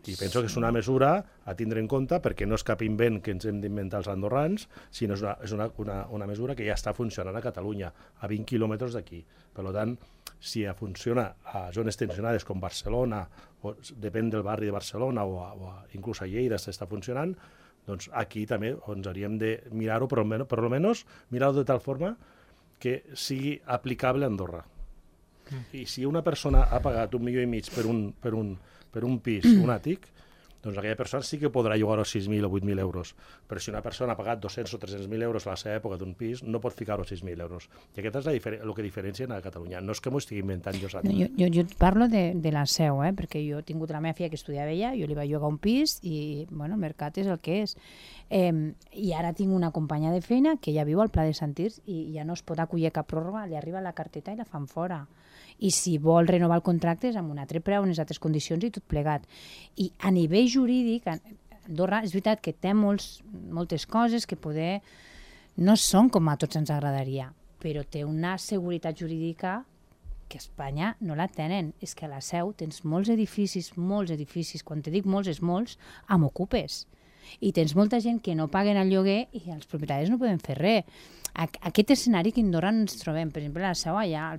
I penso que és una mesura a tindre en compte, perquè no és cap invent que ens hem d'inventar els andorrans, sinó és una mesura que ja està funcionant a Catalunya, a 20 quilòmetres d'aquí. Per tant, si funciona a zones tensionades com Barcelona, o depèn del barri de Barcelona, o inclús a Lleida està funcionant, doncs aquí també ens hauríem de mirar-ho, però almenys mirar-ho de tal forma que sigui aplicable a Andorra. I si una persona ha pagat 1,5 milions per un pis, un àtic, doncs aquella persona sí que podrà llogar els 6.000 o 8.000 euros. Però si una persona ha pagat 200 o 300.000 euros a la seva època d'un pis, no pot ficar els 6.000 euros. I aquest és el que diferencien a Catalunya. No és que m'ho estigui inventant jo. Jo parlo de la Seu, perquè jo he tingut la meva filla que estudiava allà, jo li vaig llogar un pis i, bueno, el mercat és el que és. I ara tinc una companya de feina que ja viu al Pla de Santirs i ja no es pot acollir cap pròrroga, li arriba la carteta i la fan fora. I si vol renovar el contracte és amb un altre preu, unes altres condicions i tot plegat. I a nivell jurídic, Andorra és veritat que té moltes coses que poder no són com a tots ens agradaria, però té una seguretat jurídica que a Espanya no la tenen. És que a la Seu tens molts edificis, quan te dic molts és molts, amb ocupes. I tens molta gent que no paguen el lloguer i els propietaris no poden fer res. Aquest escenari que a Andorra ens trobem, per exemple, a la Seu, allà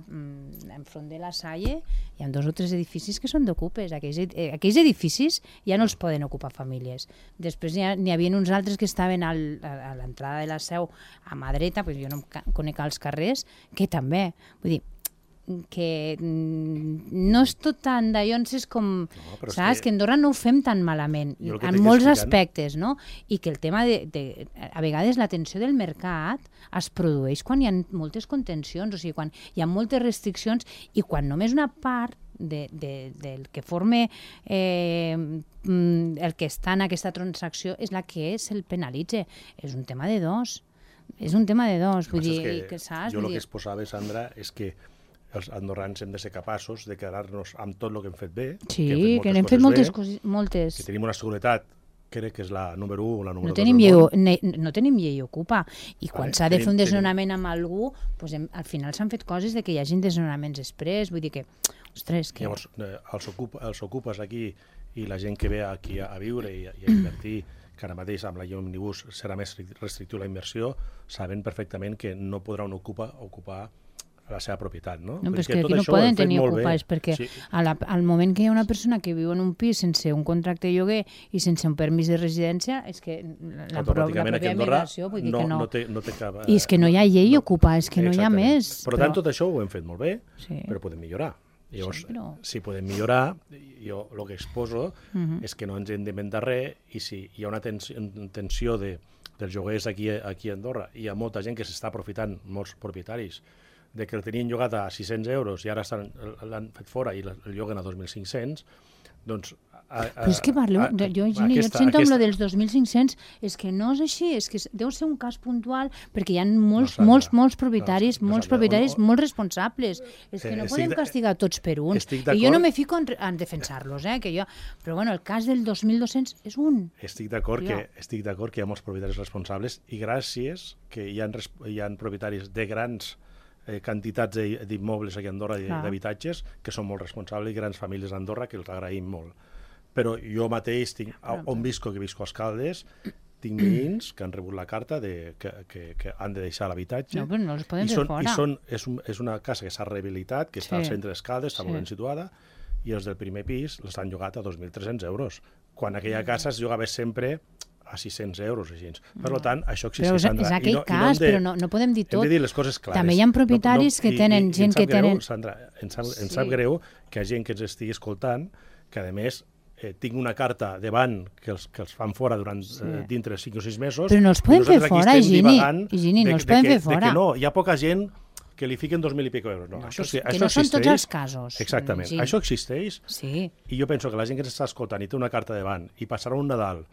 enfront de la Salle, hi ha 2 o 3 edificis que són d'ocupes. Aquells edificis ja no els poden ocupar famílies. Després n'hi havia uns altres que estaven a l'entrada de la Seu a mà dreta, jo no conec els carrers, que també. Vull dir, que no és tot tan d'allonses com... Saps? Que a Andorra no ho fem tan malament, en molts aspectes, no? I que el tema a vegades la tensió del mercat es produeix quan hi ha moltes contencions, o sigui, quan hi ha moltes restriccions i quan només una part del que forme el que està en aquesta transacció és la que se'l penalitza. És un tema de dos. Vull dir, saps? Jo el que exposava, Sandra, és que els andorrans hem de ser capaços de quedar-nos amb tot el que hem fet bé. Sí, que n'hem fet moltes. Que tenim una seguretat, crec que és la número 1 o la número 2. No tenim llei ocupa. I quan s'ha de fer un desnonament amb algú, al final s'han fet coses de que hi hagi desnonaments després. Vull dir que, ostres... Llavors, els ocupes aquí i la gent que ve aquí a viure i a invertir, que ara mateix amb la llei òmnibus serà més restrictiu la inversió, saben perfectament que no podran ocupar la seva propietat, no? No, però és que aquí no poden tenir ocupats, perquè al moment que hi ha una persona que viu en un pis sense un contracte de lloguer i sense un permís de residència, és que la pròpia migració, vull dir que no té cap... I és que no hi ha llei ocupa, és que no hi ha més. Per tant, tot això ho hem fet molt bé, però podem millorar. Llavors, si podem millorar, jo el que exposo és que no ens hem d'inventar res, i si hi ha una tensió dels lloguers aquí a Andorra, i hi ha molta gent que s'està aprofitant, molts propietaris, de que el tenien llogat a 600 euros i ara l'han fet fora i el lloguen a 2.500, doncs... Però és que parleu, jo et sento amb lo dels 2.500, és que no és així, és que deu ser un cas puntual, perquè hi ha molts propietaris molt responsables. És que no podem castigar tots per un. I jo no me fico en defensar-los, però bueno, el cas del 2.200 és un. Estic d'acord que hi ha molts propietaris responsables i gràcies que hi ha propietaris de grans quantitats d'immobles aquí a Andorra, d'habitatges, que són molt responsables, i grans famílies a Andorra, que els agraïm molt. Però jo mateix, on visco, que visco als Caldes, tinc veïns que han rebut la carta que han de deixar l'habitatge. No, però no els poden fer fora. És una casa que s'ha rehabilitat, que està al centre dels Caldes, està molt ben situada, i els del primer pis les han llogat a 2.300 euros, quan aquella casa es llogava sempre a 600 euros. Per tant, això existeix. Però és aquell cas, però no podem dir tot. Hem de dir les coses clares. També hi ha propietaris que tenen gent que tenen... Sandra, em sap greu que hi ha gent que ens estigui escoltant, que a més tinc una carta davant que els fan fora dintre 5 o 6 mesos. Però no els poden fer fora, Higini, no els poden fer fora. No, hi ha poca gent que li fiquen 2.000 i pico euros. No, que no són tots els casos. Exactament. Això existeix, i jo penso que la gent que ens està escoltant i té una carta davant i passarà un Nadal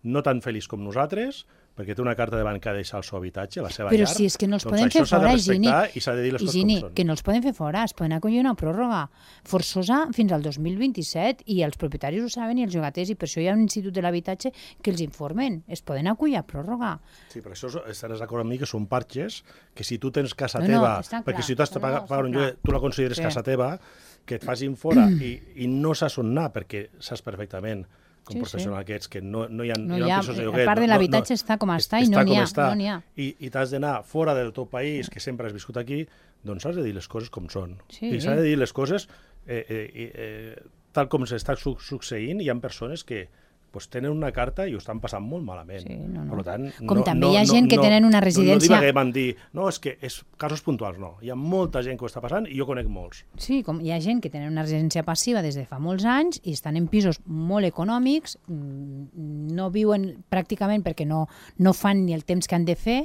no tan feliç com nosaltres, perquè té una carta davant que ha de deixar el seu habitatge, la seva llar, però si és que no els poden fer fora, Higini, i s'ha de dir les coses com són. Que no els poden fer fora, es poden acollir una pròrroga forçosa fins al 2027, i els propietaris ho saben i els llogaters, i per això hi ha un institut de l'habitatge que els informen, es poden acollir a pròrroga. Sí, però això estaràs d'acord amb mi que són parxes, que si tu tens casa teva, perquè si tu has de pagar un lloguer, tu la consideres casa teva, que et facin fora i no saps on anar, perquè saps perfectament com professional que ets, que no hi ha pisos de lloguer. A part de l'habitatge està com està i no n'hi ha. I t'has d'anar fora del teu país, que sempre has viscut aquí, doncs has de dir les coses com són. I s'ha de dir les coses tal com s'està succeint. Hi ha persones que doncs tenen una carta i ho estan passant molt malament. Sí, no. Per tant, com també hi ha gent que tenen una residència... No divaguem en dir, no, és que és casos puntuals, no. Hi ha molta gent que ho està passant i jo conec molts. Sí, com hi ha gent que tenen una residència passiva des de fa molts anys i estan en pisos molt econòmics, no viuen pràcticament perquè no fan ni el temps que han de fer,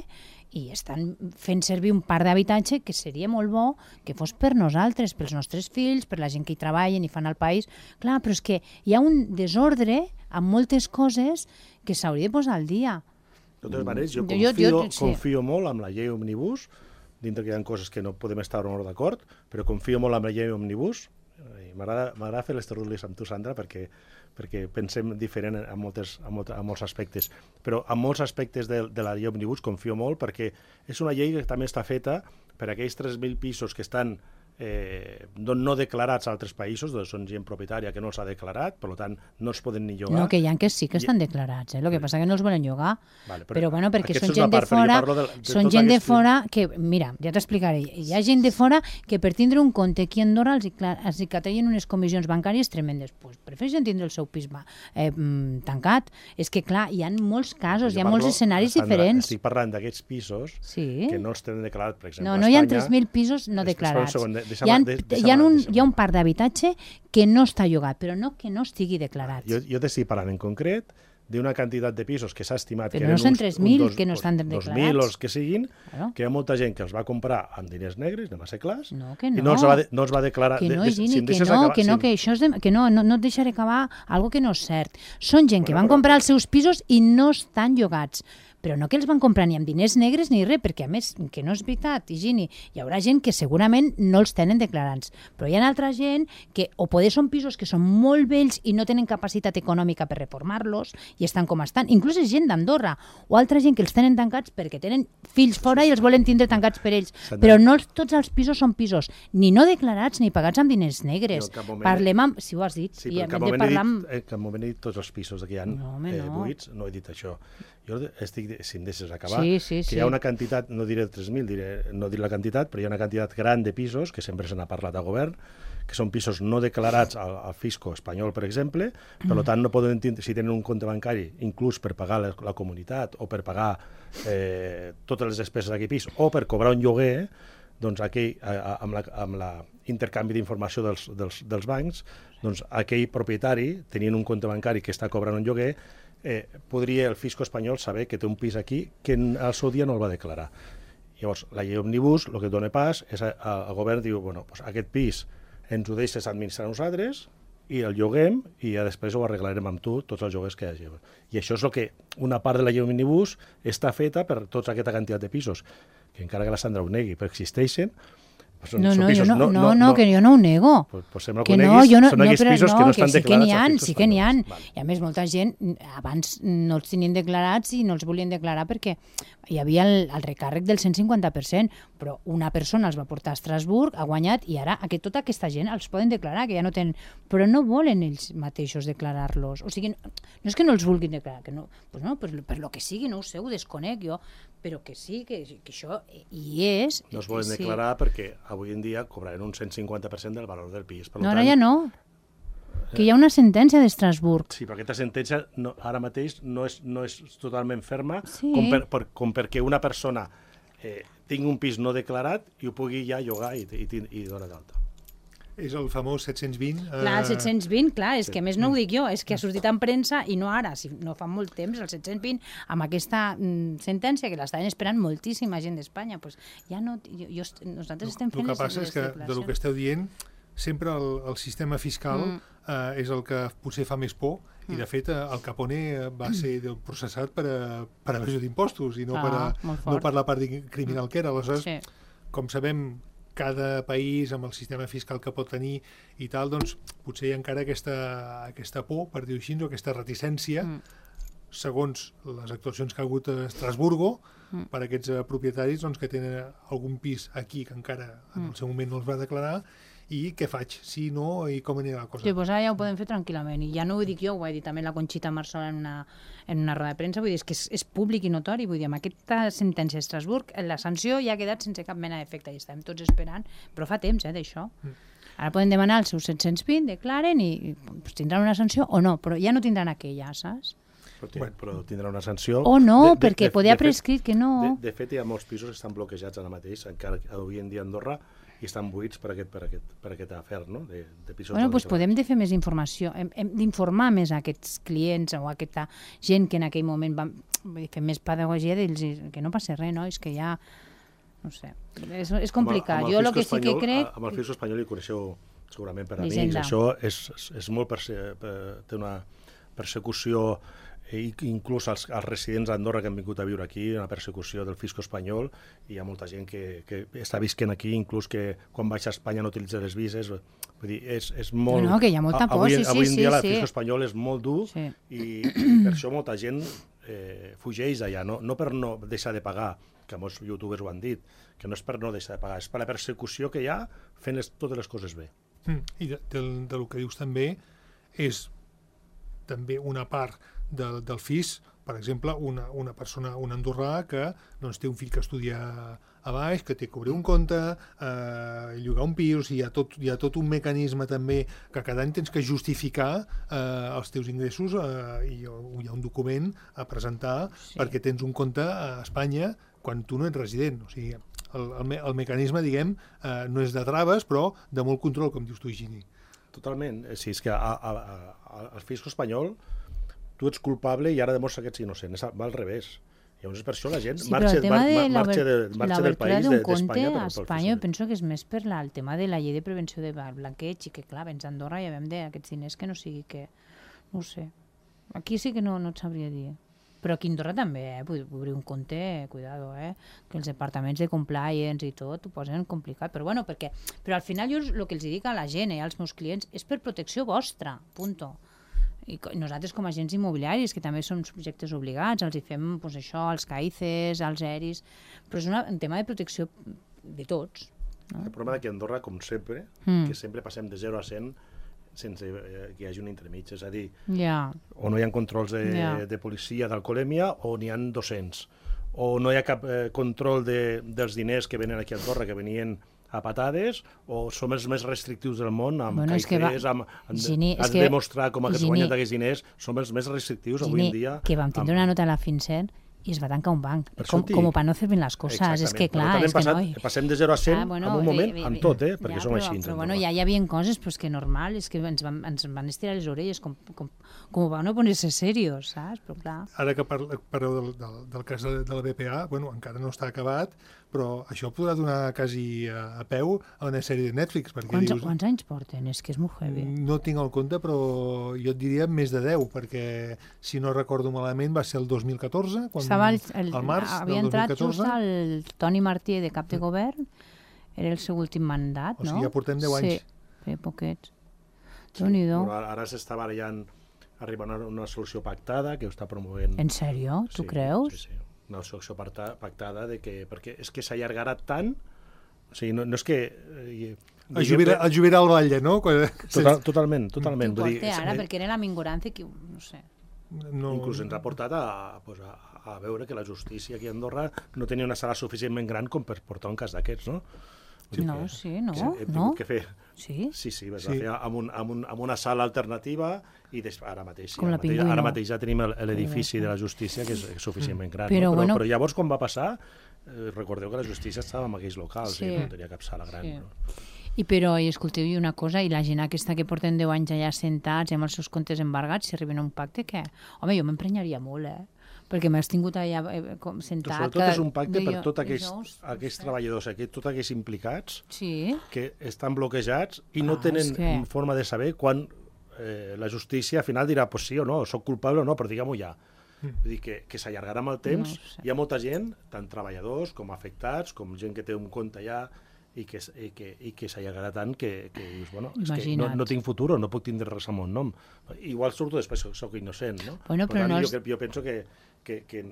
i estan fent servir un parc d'habitatge que seria molt bo que fos per nosaltres, pels nostres fills, per la gent que hi treballen i fan al país. Clar, però és que hi ha un desordre amb moltes coses que s'hauria de posar al dia. De totes maneres, jo confio molt amb la llei Òmnibus, dintre que hi ha coses que no podem estar o no d'acord, però confio molt amb la llei Òmnibus. M'agrada fer les tertúlies amb tu, Sandra, perquè pensem diferent en molts aspectes. Però en molts aspectes de la llei Òmnibus confio molt perquè és una llei que també està feta per aquells 3.000 pisos que estan no declarats a altres països, són gent propietària que no els ha declarat, per tant no els poden ni llogar. No, que hi ha que sí que estan declarats, el que passa que no els volen llogar. Vale, però bueno, perquè són gent de fora, que, mira, ja t'explicaré, hi ha gent de fora que per tindre un compte aquí a Andorra els catallen unes comissions bancàries tremendes. Pues prefereixen tindre el seu pis tancat. És que, clar, hi ha molts casos, hi ha molts escenaris diferents. Estic parlant d'aquests pisos que no els tenen declarat, per exemple, a Espanya. No hi ha 3.000 pisos no declarats. Hi ha un parc d'habitatge que no està llogat, però no que no estigui declarat. Jo t'estic parlant en concret d'una quantitat de pisos que s'ha estimat però que eren no són 3.000 que no estan declarats. 2.000 o els que siguin, que hi ha molta gent que els va comprar amb diners negres, anem a ser clars, i no els va declarar. Que no, Gini, que no et deixaré acabar algo que no és cert. Són gent que van comprar els seus pisos i no estan llogats. Però no que els van comprar ni amb diners negres ni res, perquè a més, que no és veritat, Higini, hi haurà gent que segurament no els tenen declarats, però hi ha altra gent que o poder són pisos que són molt vells i no tenen capacitat econòmica per reformar-los i estan com estan, inclús és gent d'Andorra, o altra gent que els tenen tancats perquè tenen fills fora i els volen tindre tancats per ells, però no tots els pisos són pisos ni no declarats ni pagats amb diners negres. Parlem amb, si ho has dit, i en cap moment he dit tots els pisos que hi ha buits, no he dit això. Jo estic, si em deixes acabar, que hi ha una quantitat, no diré 3.000, no diré la quantitat, però hi ha una quantitat gran de pisos, que sempre se n'ha parlat a govern, que són pisos no declarats al fisco espanyol, per exemple, per tant no poden tindre, si tenen un compte bancari, inclús per pagar la comunitat o per pagar totes les despeses d'aquell pis o per cobrar un lloguer, doncs amb l'intercanvi d'informació dels bancs, doncs aquell propietari, tenint un compte bancari que està cobrant un lloguer, podria el fisco espanyol saber que té un pis aquí que al seu dia no el va declarar. Llavors, la llei Òmnibus el que dona pas és el govern diu, bueno, doncs aquest pis ens ho deixes administrar nosaltres i el lloguem i ja després ho arreglarem amb tu, tots els lloguers que hi hagi. I això és el que una part de la llei Òmnibus està feta per tota aquesta quantitat de pisos, que encara que la Sandra ho negui, però existeixen. Que jo no ho nego. Que no, són aquells pisos que no estan declarats. Sí que n'hi ha. I a més, molta gent abans no els tenien declarats i no els volien declarar perquè hi havia el recàrrec del 150%, però una persona els va portar a Estrasburg, ha guanyat, i ara tota aquesta gent els poden declarar, que ja no tenen... Però no volen ells mateixos declarar-los. O sigui, no és que no els vulguin declarar, que no, per lo que sigui, no ho sé, ho desconec jo, però que sí, que això hi és... No es volen declarar perquè avui en dia cobraran un 150% del valor del pis. No, ara ja no. Que hi ha una sentència d'Estrasburg. Sí, però aquesta sentència ara mateix no és totalment ferma com perquè una persona tingui un pis no declarat i ho pugui ja llogar i donar d'alta. És el famós 720. Clar, el 720, clar, és que a més no ho dic jo, és que ha sortit en premsa i no ara, no fa molt temps, el 720, amb aquesta sentència que l'estaven esperant moltíssima gent d'Espanya. Pues ja no, nosaltres estem fent les declaracions. El que passa és que, del que esteu dient, sempre el sistema fiscal és el que potser fa més por, i de fet el Capone va ser processat per evasió d'impostos i no per la part criminal que era. Aleshores, com sabem, cada país amb el sistema fiscal que pot tenir i tal, doncs potser hi ha encara aquesta por, per dir-ho així, o aquesta reticència, segons les actuacions que ha hagut a Estrasburgo, per aquests propietaris que tenen algun pis aquí que encara en el seu moment no els va declarar, i què faig, si no, i com anirà la cosa. Sí, doncs ara ja ho podem fer tranquil·lament, i ja no ho dic jo, ho ha dit també la Conxita Marsola en una roda de premsa, vull dir, és que és públic i notori, vull dir, amb aquesta sentència d'Estrasburg, la sanció ja ha quedat sense cap mena d'efecte, i estem tots esperant, però fa temps, d'això. Ara poden demanar els seus 720, declaren i tindran una sanció o no, però ja no tindran aquella, saps? Però tindrà una sanció... O no, perquè podia prescrit que no... De fet, hi ha molts pisos que estan bloquejats ara mateix, encara avui en dia a Andorra, i estan buits per aquest afer, no? De pisos. Bueno, doncs podem fer més informació, hem d'informar més a aquests clients o a aquesta gent que en aquell moment vam fer més pedagogia d'ells, que no passa res, no? És que ja... No sé, és complicat. Jo el que sí que crec... Amb el fisco espanyol hi coneixeu segurament per amics. Això és molt... té una persecució... inclús els residents d'Andorra que han vingut a viure aquí, una persecució del fisco espanyol, i hi ha molta gent que està visquent aquí, inclús que quan baixa a Espanya no utilitza les vises. Vull dir, és molt... No, que hi ha molta por, sí. Avui en dia el fisco espanyol és molt dur i per això molta gent fugeix d'allà, no per no deixar de pagar, que molts youtubers ho han dit, que no és per no deixar de pagar, és per la persecució que hi ha fent totes les coses bé. I del que dius també és també una part del FIS, per exemple, una persona, un andorrà que doncs, té un fill que estudia a baix, que té que obrir un compte, llogar un pis, o sigui, hi ha tot un mecanisme també que cada any tens que justificar els teus ingressos i hi ha un document a presentar perquè tens un compte a Espanya quan tu no ets resident. O sigui, el mecanisme, diguem, no és de traves, però de molt control, com dius tu, Higini. Totalment. Sí, és que el fisco espanyol tu ets culpable i ara demostra que ets innocent. Va al revés. Llavors, per això la gent marxa del país d'Espanya. A Espanya penso que és més per el tema de la llei de prevenció de blanqueig i que, clar, vens a Andorra i ja vam d'aquests diners que no sigui que... No ho sé. Aquí sí que no et sabria dir. Però aquí a Andorra també, obrir un compte, cuidado, que els departaments de compliance i tot ho posen complicat. Però bueno, però al final jo el que els dic a la gent, als meus clients, és per protecció vostra, punto. I nosaltres com a agents immobiliaris, que també som subjectes obligats, els hi fem això, als CAICES, als ERIs, però és un tema de protecció de tots. El problema d'aquí a Andorra, com sempre, que sempre passem de 0 a 100 sense que hi hagi un entremig, és a dir, o no hi ha controls de policia d'alcoholèmia o n'hi ha 200, o no hi ha cap control dels diners que venen aquí a Andorra, que venien a patades, o som els més restrictius del món, amb CAICES, has de demostrar com has guanyat aquests diners, som els més restrictius avui en dia. Que vam tindre una nota a la FinCEN i es va tancar un banc, com per no fer ben les coses. És que clar, és que no... Passem de 0 a 100 en un moment, amb tot, perquè som així. Però bueno, ja hi havia coses que normal, és que ens van estirar les orelles, com van no poner-se serios, saps? Però clar... Ara que parleu del cas de la BPA, bueno, encara no està acabat, però això podrà donar quasi a peu a una sèrie de Netflix. Quants anys porten? És que és molt heavy. No tinc el compte, però jo et diria més de 10, perquè si no recordo malament va ser el 2014, al març havia entrat just el Toni Martí de cap de govern, era el seu últim mandat, no? O sigui, ja portem 10 anys. Sí, poquets. Déu-n'hi-do. Ara s'està barallant, arribant a una solució pactada que ho està promovent. En sèrio? Tu creus? Sí. Una solució pactada perquè és que s'allargarà tant, o sigui, no és que... El jubilar al Valle, no? Totalment. T'ho porta ara, perquè era la mingorància que, no sé... Inclús ens ha portat a veure que la justícia aquí a Andorra no tenia una sala suficientment gran com per portar un cas d'aquests, no? No. Hem tingut que fer... Sí, vas a fer amb una sala alternativa i ara mateix ja tenim l'edifici de la justícia que és suficientment gran. Però llavors, quan va passar, recordeu que la justícia estava en aquells locals i no tenia cap sala gran. Però, escolteu, una cosa, i la gent aquesta que porten 10 anys allà sentats i amb els seus comptes embargats, si arriben a un pacte, què? Home, jo m'emprenyaria molt, perquè m'has tingut allà sentat... Sobretot és un pacte per tots aquells treballadors, tots aquells implicats que estan bloquejats i no tenen forma de saber quan la justícia al final dirà pues sí o no, soc culpable o no, però digue-m'ho ja. Vull dir que s'allargarà amb el temps. Hi ha molta gent, tant treballadors com afectats, com gent que té un compte allà, i que s'allargarà tant que dius, bueno, és que no tinc futur, no puc tindre res al meu nom. Igual surto després, soc innocent, no? Per tant, jo penso que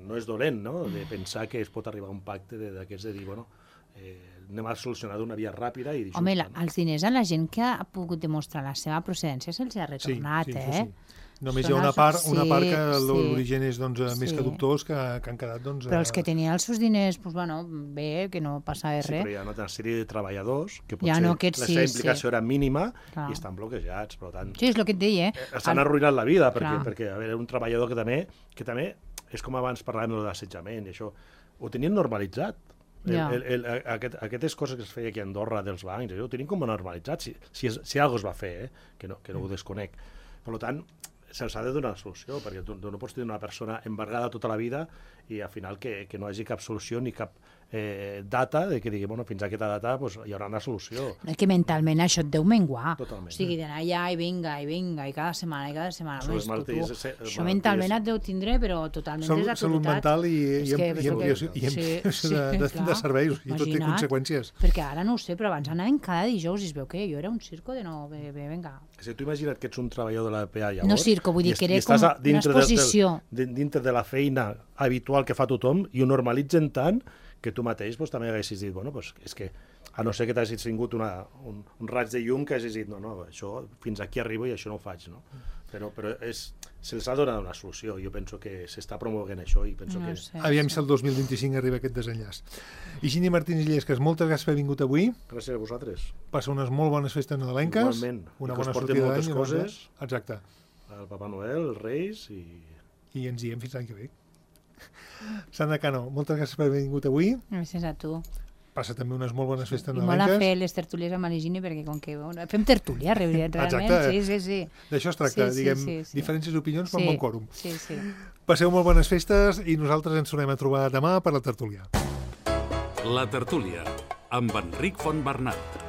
no és dolent, no?, de pensar que es pot arribar a un pacte d'aquests de dir, bueno, anem a solucionar d'una via ràpida i justa. Home, els diners a la gent que ha pogut demostrar la seva procedència se'ls ha retornat, sí. Només hi ha una part que l'origen és més que dubtós, que han quedat... Però els que tenien els seus diners, bé, que no passava res. Sí, però hi ha una sèrie de treballadors que potser la seva implicació era mínima i estan bloquejats, per tant... Sí, és el que et deia. Estan arruïnant la vida, perquè a veure, un treballador que també és com abans parlàvem de l'assetjament, i això ho tenien normalitzat. Aquestes coses que es feia aquí a Andorra dels bancs, ho tenim com normalitzat, si alguna es va fer, que no ho desconec. Per tant, se'ls ha de donar solució, perquè tu no pots tenir una persona embargada tota la vida i al final que no hi hagi cap solució ni cap data, que digui, fins a aquesta data hi haurà una solució. És que mentalment això et deu menguar. Totalment. O sigui, d'anar allà i vinga, i cada setmana. Això mentalment et deu tindre, però totalment desactualitat. Salut mental i ampliació de serveis, i tot té conseqüències. Perquè ara no ho sé, però abans anaven cada dijous i es veu que jo era un circo de no, vinga. Si tu imagina't que ets un treballador de la PA llavors... No circo, vull dir que era com una exposició. Dintre de la feina habitual que fa tothom i ho normalitzen tant que tu mateix també haguessis dit, és que a no ser que t'hagis tingut un raig de llum que hagis dit, no, això fins aquí arribo i això no ho faig, no? Però se'ls ha donat una solució. Jo penso que s'està promovent això i penso que... Aviam si el 2025 arriba aquest desenllaç. Higini Martins i Illescas, moltes gràcies per haver vingut avui. Gràcies a vosaltres. Passa unes molt bones festes nadalenques. Igualment. Una bona sortida d'any. Coses. Exacte. El Papa Noel, els Reis i... I ens diem fins l'any que ve. Sandra Cano, moltes gràcies per haver vingut avui. Gràcies a tu. Passa també unes molt bones festes nadalenques. I molt a fer les tertúlies amb l'Higini, perquè com que fem tertúlia, realment. Exacte. Sí. D'això es tracta, diguem, diferències d'opinions per un bon quòrum. Sí. Passeu molt bones festes i nosaltres ens tornem a trobar demà per la tertúlia. La tertúlia, amb Enric Fontbernat.